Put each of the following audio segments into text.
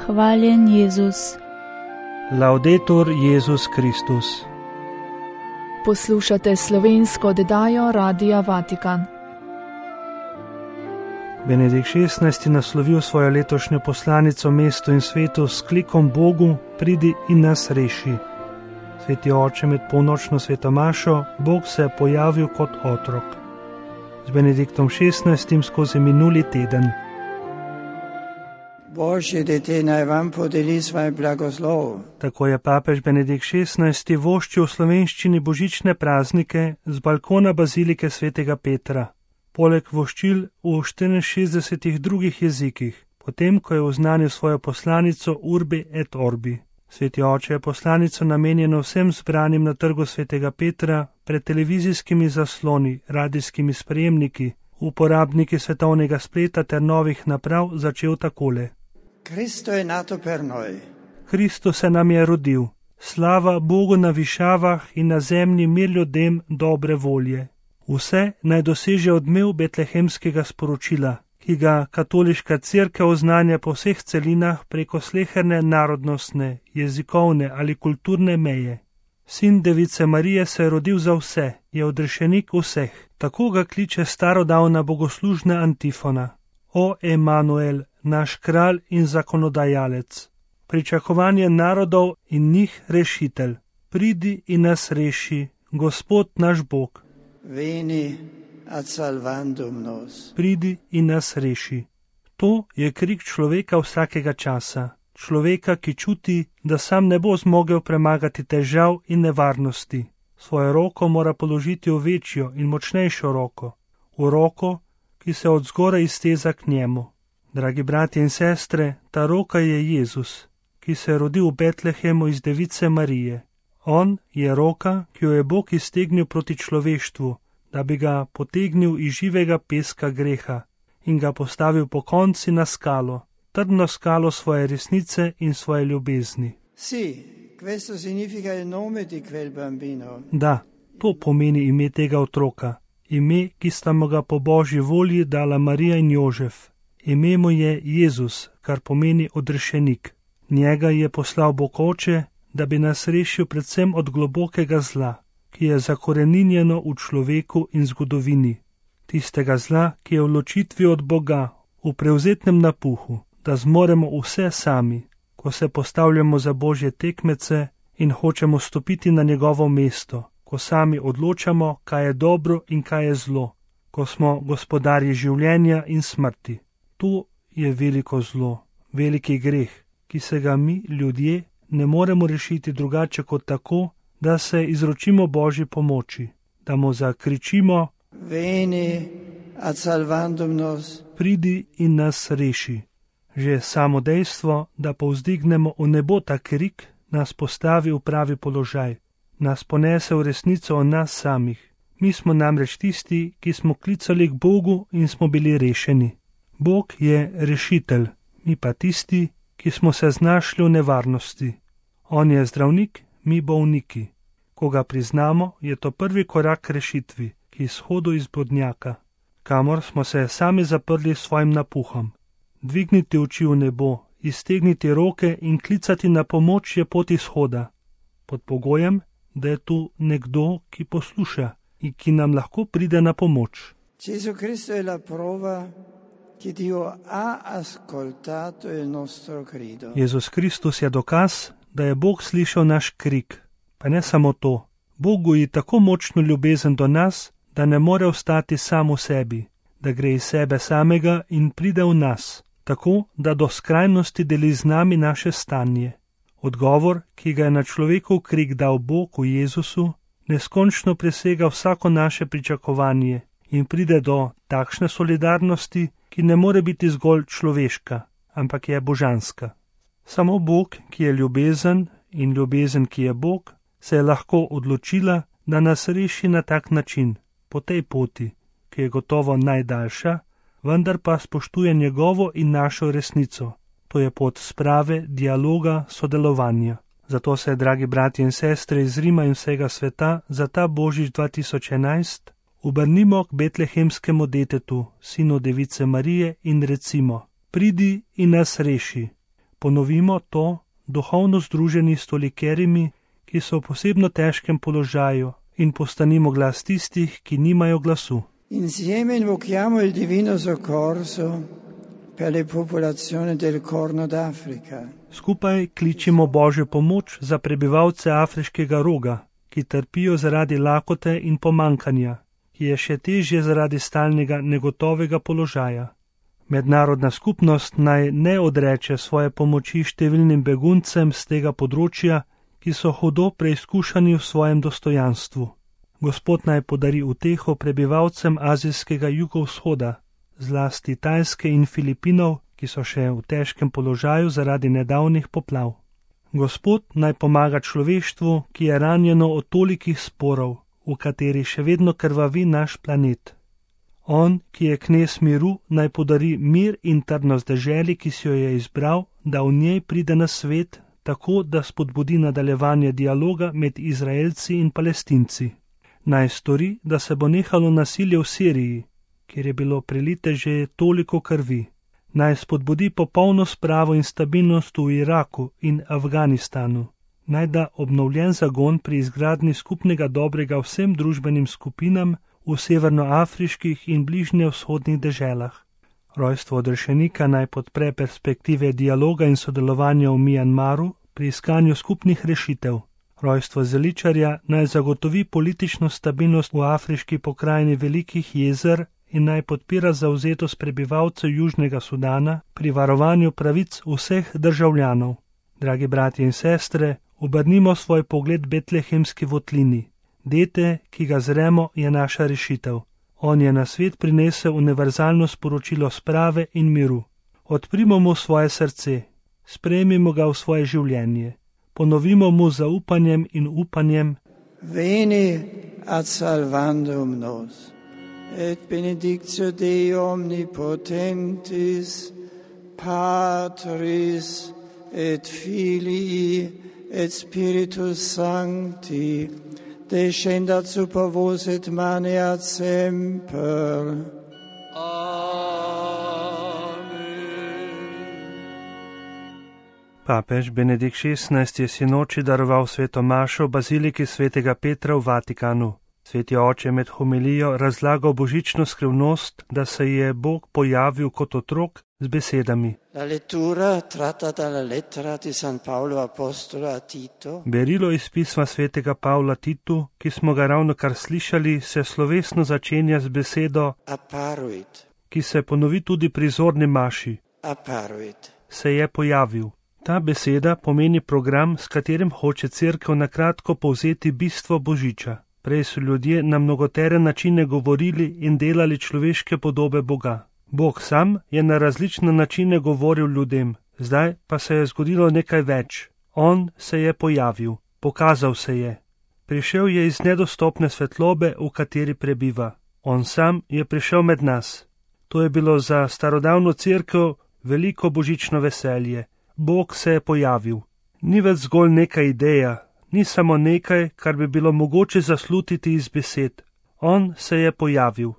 Hvaljen Jezus. Laudetur Jezus Kristus. Poslušate slovensko oddajo Radia Vatikan. Benedikt XVI. Naslovil svojo letošnjo poslanico mestu in svetu s klikom Bogu, pridi in nas reši. Sveti oče, med polnočno svetomašo, Bog se je pojavil kot otrok. Z Benediktom XVI. Skozi minuli teden. Božje dete naj vam podeli svoj blagoslov. Tako je papež Benedikt XVI. Voščil v slovenščini božične praznike z balkona bazilike svetega Petra. Poleg voščil v 64 drugih jezikih, potem ko je oznanil svojo poslanico Urbi et Orbi. Sveti oče je poslanico namenjeno vsem zbranim na trgu svetega Petra pred televizijskimi zasloni, radijskimi sprejemniki, uporabniki svetovnega spleta ter novih naprav začel takole. Kristus se nam je rodil. Slava Bogu na višavah in na zemlji mir ljudem dobre volje. Vse naj doseže odmev betlehemskega sporočila, ki ga katoliška cerkev oznanja po vseh celinah preko sleherne narodnostne, jezikovne ali kulturne meje. Sin device Marije se je rodil za vse, je odrešenik vseh. Tako ga kliče starodavna bogoslužna antifona. O Emanuel, naš kralj in zakonodajalec, pričakovanje narodov in njih rešitelj. Pridi in nas reši, Gospod naš Bog. Veni ad salvandum nos. Pridi in nas reši. To je krik človeka vsakega časa. Človeka, ki čuti, da sam ne bo zmogel premagati težav in nevarnosti. Svojo roko mora položiti v večjo in močnejšo roko. V roko, ki se od zgoraj izteza k njemu. Dragi bratje in sestre, ta roka je Jezus, ki se je rodil v Betlehemu iz device Marije. On je roka, ki jo je Bog iztegnil proti človeštvu, da bi ga potegnil iz živega peska greha in ga postavil po konci na skalo, trdno skalo svoje resnice in svoje ljubezni. Da, to pomeni ime tega otroka, ime, ki sta mu ga po Božji volji dala Marija in Jožef. Ime mu je Jezus, kar pomeni odrešenik. Njega je poslal Bog Oče, da bi nas rešil predvsem od globokega zla, ki je zakoreninjeno v človeku in zgodovini. Tistega zla, ki je v ločitvi od Boga, v prevzetnem napuhu, da zmoremo vse sami, ko se postavljamo za Božje tekmece in hočemo stopiti na njegovo mesto, ko sami odločamo, kaj je dobro in kaj je zlo, ko smo gospodarji življenja in smrti. To je veliko zlo, veliki greh, ki se ga mi, ljudje, ne moremo rešiti drugače kot tako, da se izročimo Božji pomoči, da mu zakričimo: Veni ad salvandum nos. Pridi in nas reši. Že samo dejstvo, da povzdignemo v nebo ta krik, nas postavi v pravi položaj, nas ponese v resnico o nas samih. Mi smo namreč tisti, ki smo klicali k Bogu in smo bili rešeni. Bog je rešitelj, mi pa tisti, ki smo se znašli v nevarnosti. On je zdravnik, mi bolniki. Ko ga priznamo, je to prvi korak k rešitvi, ki izhodu iz blodnjaka, kamor smo se sami zaprli s svojim napuhom. Dvigniti oči v nebo, iztegniti roke in klicati na pomoč je pot izhoda, pod pogojem, da je tu nekdo, ki posluša in ki nam lahko pride na pomoč. Gesù Cristo è la prova che Dio ha ascoltato il nostro grido. Jezus Kristus je dokaz, da je Bog slišal naš krik. Pa ne samo to, Bog goji tako močno ljubezen do nas, da ne more ostati sam v sebi, da gre iz sebe samega in pride v nas, tako da do skrajnosti deli z nami naše stanje. Odgovor, ki ga je na človekov krik dal Bog v Jezusu, neskončno presega vsako naše pričakovanje in pride do takšne solidarnosti, ki ne more biti zgolj človeška, ampak je božanska. Samo Bog, ki je ljubezen, in ljubezen, ki je Bog, se je lahko odločila, da nas reši na tak način, po tej poti, ki je gotovo najdaljša, vendar pa spoštuje njegovo in našo resnico. To je pot sprave, dialoga, sodelovanja. Zato se, dragi bratje in sestre iz Rima in vsega sveta, za ta Božič 2011 obrnimo k betlehemskemu detetu, sinu device Marije, in recimo: Pridi in nas reši. Ponovimo to, duhovno združeni s tolikerimi, ki so v posebno težkem položaju, in postanimo glas tistih, ki nimajo glasu. Insieme invochiamo il divino soccorso per le popolazioni del Corno d'Africa. Skupaj kličimo Božjo pomoč za prebivalce Afriškega roga, ki trpijo zaradi lakote in pomankanja, ki je še težje zaradi stalnega negotovega položaja. Mednarodna skupnost naj ne odreče svoje pomoči številnim beguncem z tega področja, ki so hudo preizkušani v svojem dostojanstvu. Gospod naj podari uteho prebivalcem azijskega jugovzhoda, zlasti Tajske in Filipinov, ki so še v težkem položaju zaradi nedavnih poplav. Gospod naj pomaga človeštvu, ki je ranjeno od tolikih sporov, v kateri še vedno krvavi naš planet. On, ki je knez miru, naj podari mir in trdnost deželi, ki si jo je izbral, da v njej pride na svet, tako da spodbudi nadaljevanje dialoga med Izraelci in Palestinci. Naj stori, da se bo nehalo nasilje v Siriji, kjer je bilo prelite že toliko krvi. Naj spodbudi popolno spravo in stabilnost v Iraku in Afganistanu. Naj da obnovljen zagon pri izgradnji skupnega dobrega vsem družbenim skupinam v severnoafriških in bližnjevzhodnih deželah. Rojstvo odrešenika naj podpre perspektive dialoga in sodelovanja v Mjanmaru pri iskanju skupnih rešitev. Rojstvo zeličarja naj zagotovi politično stabilnost v afriški pokrajini Velikih jezer in naj podpira zavzetost prebivalcev Južnega Sudana pri varovanju pravic vseh državljanov. Dragi bratje in sestre, obrnimo svoj pogled betlehemski votlini. Dete, ki ga zremo, je naša rešitev. On je na svet prinesel univerzalno sporočilo sprave in miru. Odprimo mu svoje srce, sprejmimo ga v svoje življenje. Ponovimo mu zaupanjem in upanjem: Veni ad salvandum nos, et benedictio Dei omnipotentis, Patris et Filii et Spiritus Sancti, descendat super vos et maneat semper. Papež Benedikt XVI je sinoči daroval sveto mašo v baziliki svetega Petra v Vatikanu. Sveti oče med homilijo razlagal božično skrivnost, da se je Bog pojavil kot otrok z besedami. Berilo iz pisma svetega Pavla Titu, ki smo ga ravnokar slišali, se slovesno začenja z besedo apparuit, ki se ponovi tudi pri zorni maši. Apparuit. Se je pojavil. Ta beseda pomeni program, s katerim hoče Cerkev na kratko povzeti bistvo Božiča. Prej so ljudje na mnogotere načine govorili in delali človeške podobe Boga. Bog sam je na različne načine govoril ljudem, zdaj pa se je zgodilo nekaj več. On se je pojavil, pokazal se je. Prišel je iz nedostopne svetlobe, v kateri prebiva. On sam je prišel med nas. To je bilo za starodavno Cerkev veliko božično veselje. Bog se je pojavil. Ni več zgolj neka ideja, ni samo nekaj, kar bi bilo mogoče zaslutiti iz besed. On se je pojavil.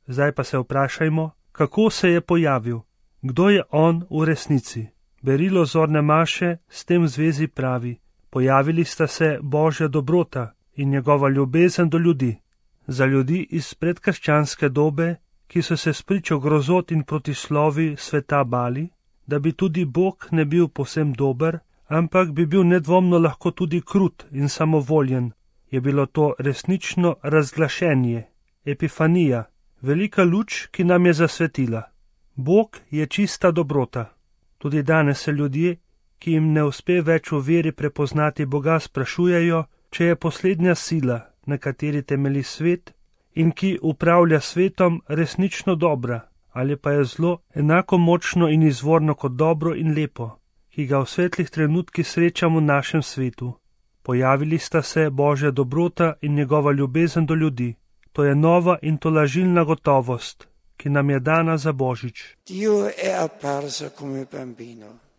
Zdaj pa se vprašajmo, kako se je pojavil? Kdo je on v resnici? Berilo zorne maše s tem v zvezi pravi: pojavili sta se Božja dobrota in njegova ljubezen do ljudi. Za ljudi iz predkrščanske dobe, ki so se spričo grozot in protislovi sveta bali, da bi tudi Bog ne bil povsem dober, ampak bi bil nedvomno lahko tudi krut in samovoljen, je bilo to resnično razglašenje, epifanija, velika luč, ki nam je zasvetila. Bog je čista dobrota. Tudi danes se ljudje, ki jim ne uspe več v veri prepoznati Boga, sprašujejo, če je poslednja sila, na kateri temelji svet in ki upravlja svetom, resnično dobra, ali pa je zlo enako močno in izvorno kot dobro in lepo, ki ga v svetlih trenutkih srečamo v našem svetu. Pojavili sta se Božja dobrota in njegova ljubezen do ljudi. To je nova in tolažilna gotovost, ki nam je dana za Božič.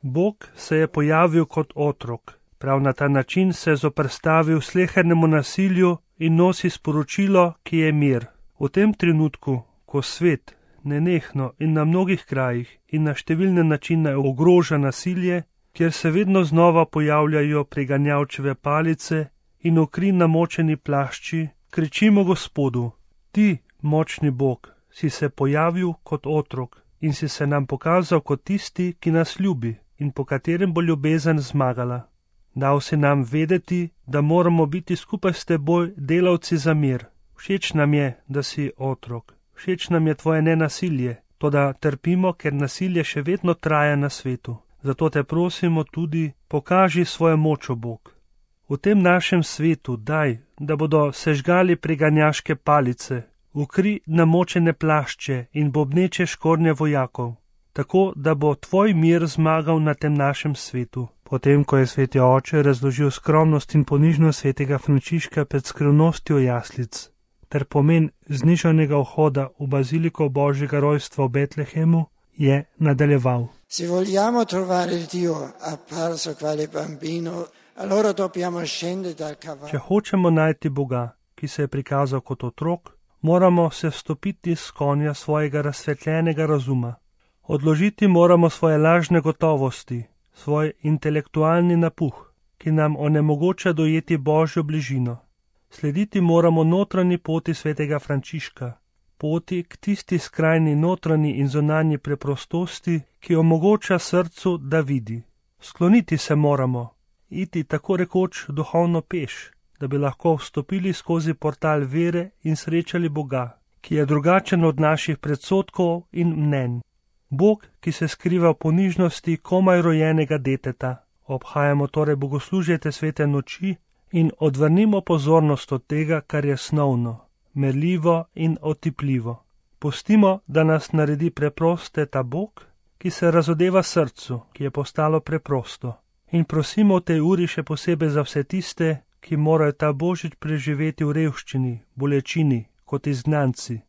Bog se je pojavil kot otrok. Prav na ta način se je zoperstavil slehernemu nasilju in nosi sporočilo, ki je mir. V tem trenutku, ko svet nenehno in na mnogih krajih in na številne načine ogroža nasilje, kjer se vedno znova pojavljajo preganjavčeve palice in v kri namočeni plašči, kričimo Gospodu: Ti, močni Bog, si se pojavil kot otrok in si se nam pokazal kot tisti, ki nas ljubi in po katerem bo ljubezen zmagala. Dal si nam vedeti, da moramo biti skupaj s teboj delavci za mir. Všeč nam je, da si otrok. Všeč nam je tvoje nenasilje, toda trpimo, ker nasilje še vedno traja na svetu. Zato te prosimo tudi, pokaži svojo moč, o Bog. V tem našem svetu daj, da bodo sežgali preganjaške palice, v kri namočene plašče in bobneče škornje vojakov, tako da bo tvoj mir zmagal na tem našem svetu. Potem, ko je sveti oče razložil skromnost in ponižnost svetega Frančiška pred skrivnostjo jaslic ter pomen znižanega vhoda v baziliko Božjega rojstva v Betlehemu, je nadaljeval. Se vogliamo trovare il Dio apparso quale bambino, allora dobbiamo scendere dal cavallo. Če hočemo najti Boga, ki se je prikazal kot otrok, moramo se vstopiti s konja svojega razsvetljenega razuma. Odložiti moramo svoje lažne gotovosti, svoj intelektualni napuh, ki nam onemogoča dojeti Božjo bližino. Slediti moramo notranji poti svetega Frančiška, poti k tisti skrajni notranji in zunanji preprostosti, ki omogoča srcu, da vidi. Skloniti se moramo, iti tako rekoč duhovno peš, da bi lahko vstopili skozi portal vere in srečali Boga, ki je drugačen od naših predsodkov in mnenj. Bog, ki se skriva v ponižnosti komaj rojenega deteta. Obhajamo torej bogoslužje te svete noči in odvrnimo pozornost od tega, kar je snovno, merljivo in otipljivo. Pustimo, da nas naredi preproste ta Bog, ki se razodeva srcu, ki je postalo preprosto. In prosimo v tej uri še posebej za vse tiste, ki morajo ta božič preživeti v revščini, bolečini, kot izgnanci,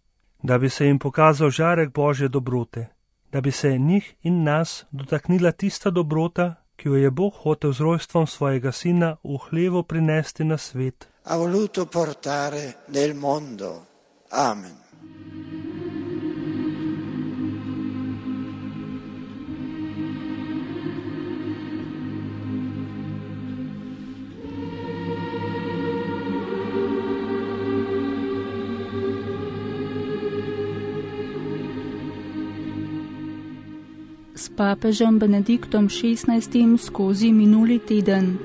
da bi se jim pokazal žarek Božje dobrote, da bi se njih in nas dotaknila tista dobrota, ki jo je Bog hotel z rojstvom svojega sina v hlevu prinesti na svet. Ha voluto portare nel mondo. Amen. S papežem Benediktom XVI skozi minuli teden.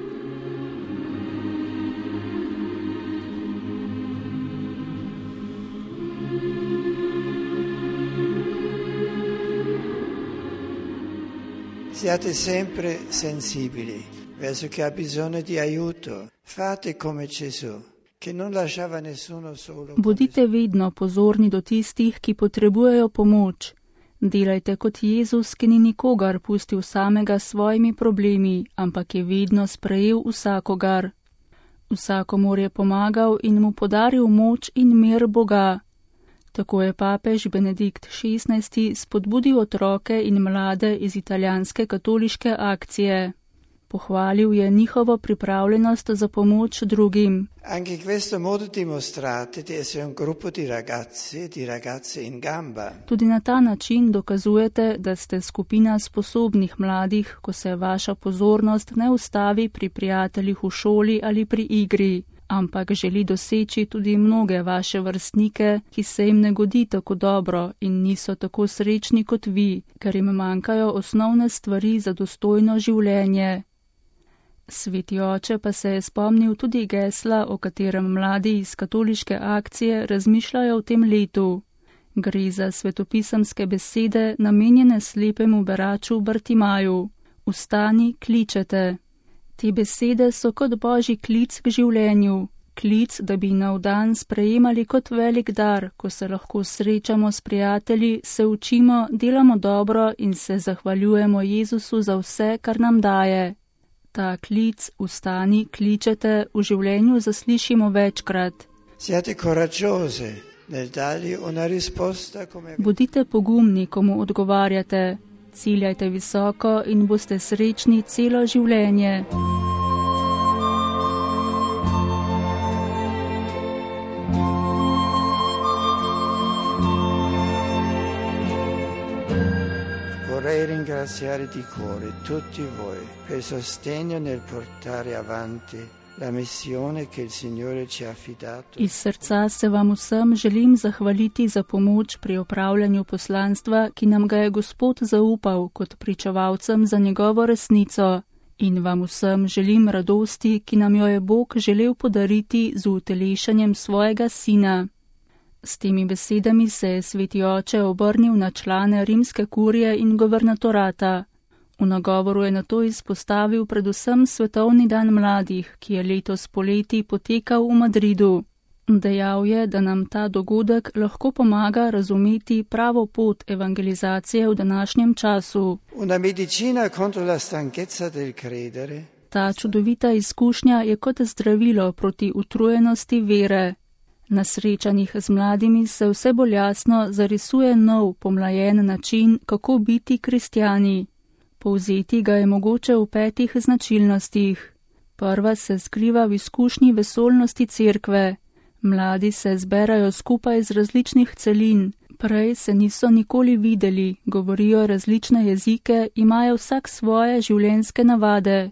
Siate sempre sensibili verso chi ha bisogno di aiuto. Fate come Gesù, che non lasciava nessuno solo. Bodite vedno pozorni do tistih, ki potrebujejo pomoč. Delajte kot Jezus, ki ni nikogar pustil samega s svojimi problemi, ampak je vedno sprejel vsakogar. Vsakomur je pomagal in mu podaril moč in mir Boga. Tako je papež Benedikt XVI spodbudil otroke in mlade iz italijanske katoliške akcije. Pohvalil je njihovo pripravljenost za pomoč drugim. Anche in questo modo dimostrate di essere un gruppo di ragazzi e di ragazze in gamba. Tudi na ta način dokazujete, da ste skupina sposobnih mladih, ko se vaša pozornost ne ustavi pri prijateljih v šoli ali pri igri, ampak želi doseči tudi mnoge vaše vrstnike, ki se jim ne godi tako dobro in niso tako srečni kot vi, ker jim manjkajo osnovne stvari za dostojno življenje. Sveti oče pa se je spomnil tudi gesla, o katerem mladi iz katoliške akcije razmišljajo v tem letu. Gre za svetopisemske besede, namenjene slepemu beraču Bartimaju. Vstani, kličete. Te besede so kot božji klic k življenju. Klic, da bi nov dan sprejemali kot velik dar, ko se lahko srečamo s prijatelji, se učimo, delamo dobro in se zahvaljujemo Jezusu za vse, kar nam daje. Ta klic, vstani, kličete, v življenju zaslišimo večkrat. Bodite pogumni, ko mu odgovarjate. Ciljajte visoko in boste srečni celo življenje. vorrei ringraziare di cuore tutti voi per sostegno nel portare avanti la missione che il Signore ci ha affidato. Iz srca se vam vsem želim zahvaliti za pomoč pri opravljanju poslanstva, ki nam ga je Gospod zaupal kot pričevalcem za njegovo resnico. In vam vsem želim radosti, ki nam jo je Bog želel podariti z utelešanjem svojega Sina. S temi besedami se je sveti oče obrnil na člane rimske kurije in guvernatorata. V nagovoru je nato izpostavil predvsem Svetovni dan mladih, ki je letos poleti potekal v Madridu. Dejal je, da nam ta dogodek lahko pomaga razumeti pravo pot evangelizacije v današnjem času. Una medicina contro la stanchezza del credere. Ta čudovita izkušnja je kot zdravilo proti utrujenosti vere. Na srečanjih z mladimi se vse bolj jasno zarisuje nov, pomlajen način, kako biti kristjani. Povzeti ga je mogoče v 5 značilnostih. Prva se skriva v izkušnji vesoljnosti cerkve. Mladi se zberajo skupaj z različnih celin, prej se niso nikoli videli, govorijo različne jezike, imajo vsak svoje življenjske navade,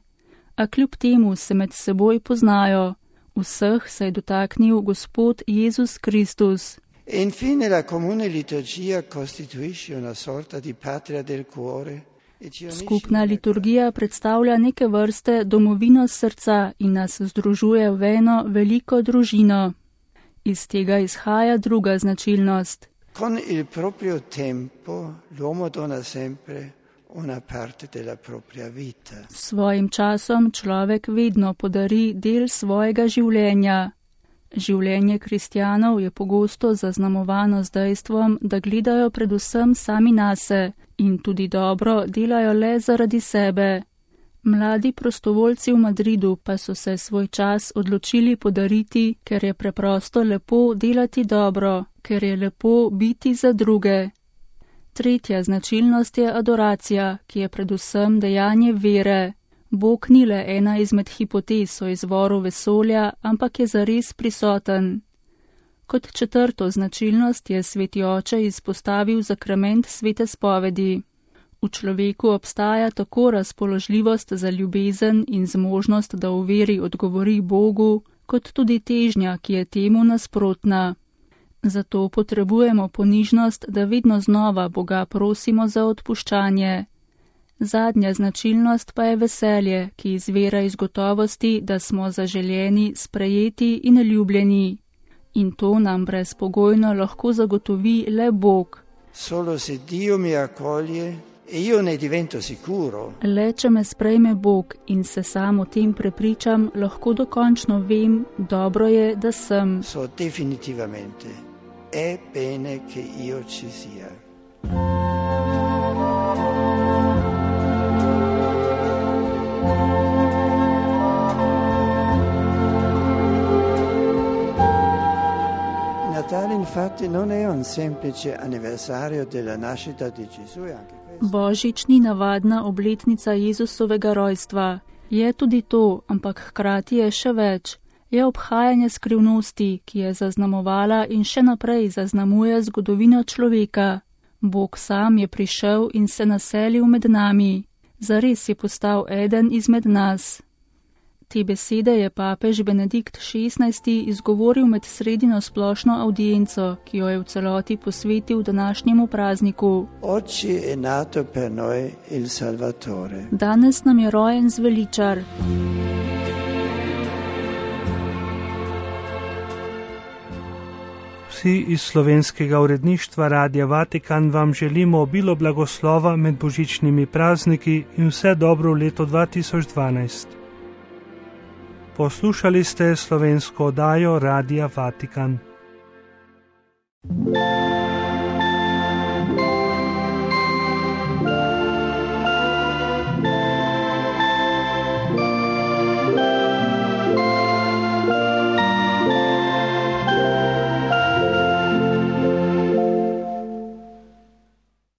a kljub temu se med seboj poznajo. Vseh se je dotaknil Gospod Jezus Kristus. E infine la comune liturgia costituisce una sorta di patria del cuore. Skupna liturgija predstavlja neke vrste domovino srca in nas združuje v eno veliko družino. Iz tega izhaja druga značilnost. Con il proprio tempo l'uomo dona sempre una parte della propria vita. S svojim časom človek vedno podari del svojega življenja. Življenje kristjanov je pogosto zaznamovano z dejstvom, da gledajo predvsem sami nase in tudi dobro delajo le zaradi sebe. Mladi prostovoljci v Madridu pa so se svoj čas odločili podariti, ker je preprosto lepo delati dobro, ker je lepo biti za druge. Tretja značilnost je adoracija, ki je predvsem dejanje vere. Bog ni le ena izmed hipotez o izvoru vesolja, ampak je zares prisoten. Kot četrto značilnost je sveti oče izpostavil sakrament svete spovedi. V človeku obstaja tako razpoložljivost za ljubezen in zmožnost, da v veri odgovori Bogu, kot tudi težnja, ki je temu nasprotna. Zato potrebujemo ponižnost, da vedno znova Boga prosimo za odpuščanje. Zadnja značilnost pa je veselje, ki izvira iz gotovosti, da smo zaželjeni, sprejeti in ljubljeni. In to nam brezpogojno lahko zagotovi le Bog. Solo se Dio mi accoglie e io ne divento sicuro. Le če me sprejme Bog in se sam o tem prepričam, lahko dokončno vem, dobro je, da sem. So definitivamente è bene che io ci sia. Natale infatti non è un semplice anniversario della nascita di Gesù, anche questo. Božič ni navadna obletnica Jezusovega rojstva. Je tudi to, ampak hkrati je še več. Je obhajanje skrivnosti, ki je zaznamovala in še naprej zaznamuje zgodovino človeka. Bog sam je prišel in se naselil med nami. Zares je postal eden izmed nas. Te besede je papež Benedikt XVI izgovoril med sredino splošno avdienco, ki jo je v celoti posvetil današnjemu prazniku. Oggi è nato per noi il Salvatore. Danes nam je rojen zveličar. Vsi iz slovenskega uredništva Radia Vatikan vam želimo obilo blagoslova med božičnimi prazniki in vse dobro v letu 2012. Poslušali ste slovensko oddajo Radia Vatikan.